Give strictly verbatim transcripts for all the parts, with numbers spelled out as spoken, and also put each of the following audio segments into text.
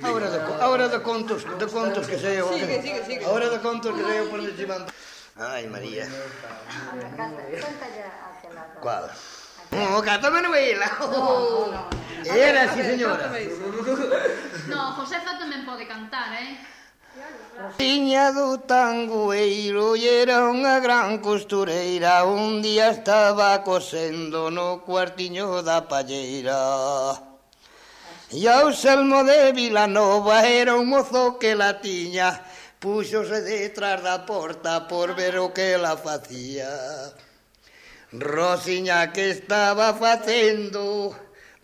Ahora de, ahora de contos, de contos que sei eu. Sigue, sigue, sigue. Ahora de contos que sei eu por onde chimando. Ai, María. Cual? Oh, canta Manuela. No, no. Era, sí, señora. No, Josefa tamén pode cantar, eh? Tiña do tangoeiro e era unha gran costureira. Un día estaba cosendo no cuartiño da palleira. E ao Selmo de Vilanova era un mozo que la tiña. Púxose detrás da porta por ver o que la facía. Rosiña que estaba facendo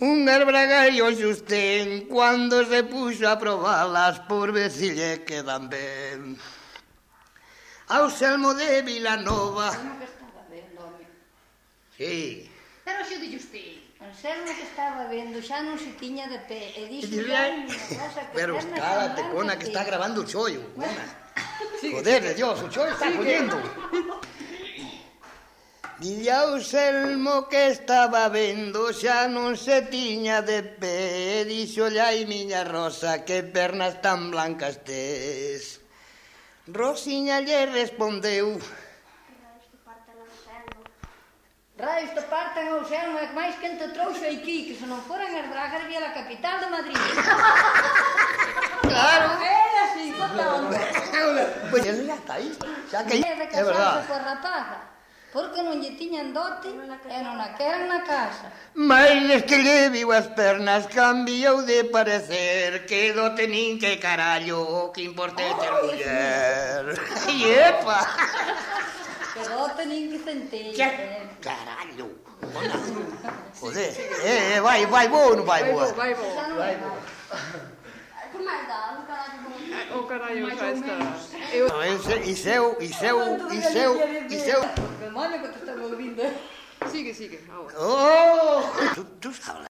un arbragallo xustén cando se puxo a probalas por ver si lle quedan ben. Ao Selmo de Vilanova. Como que estaba vendo, home? Sí. Pero xo de Justín. O Selmo que estaba vendo xa non se tiña de pé. E dixo Dile, xa unha cosa que pero pernas cállate, tan cona, blancas que está grabando o chollo. Cona. Sigue, Joder de Dios, o chollo está collendo. Dille ao Selmo que estaba vendo xa non se tiña de pé. Dixolle ai miña Rosa que pernas tan blancas tes. Rosiña lle respondeu: Raios te partan ao Selmo, é que máis quen te trouxe aquí, que se non foran as bragas vía a capital de Madrid. Claro. Era así, contando. Pois eso xa está aí. Xa que É de é verdad. casarse coa rapaza, porque non lle tiñan dote e non a queran na casa. Mais desde lle viu as pernas cambiou de parecer. Que dote nin que carallo, o que importa é ter muller. E epa! Que dote nin que centella. Que carallo! Joder, eh, eh, vai, vai bo ou non vai Vai boa? bo, vai bo. Xa non é mal. Que máis dá? Un carallo como... O carallo xa está. No, ese, e seu, e seu, e seu, e seu... Demonio que te están ouvindo. Sigue, sigue, agora. Oh! Tú, tú sabes.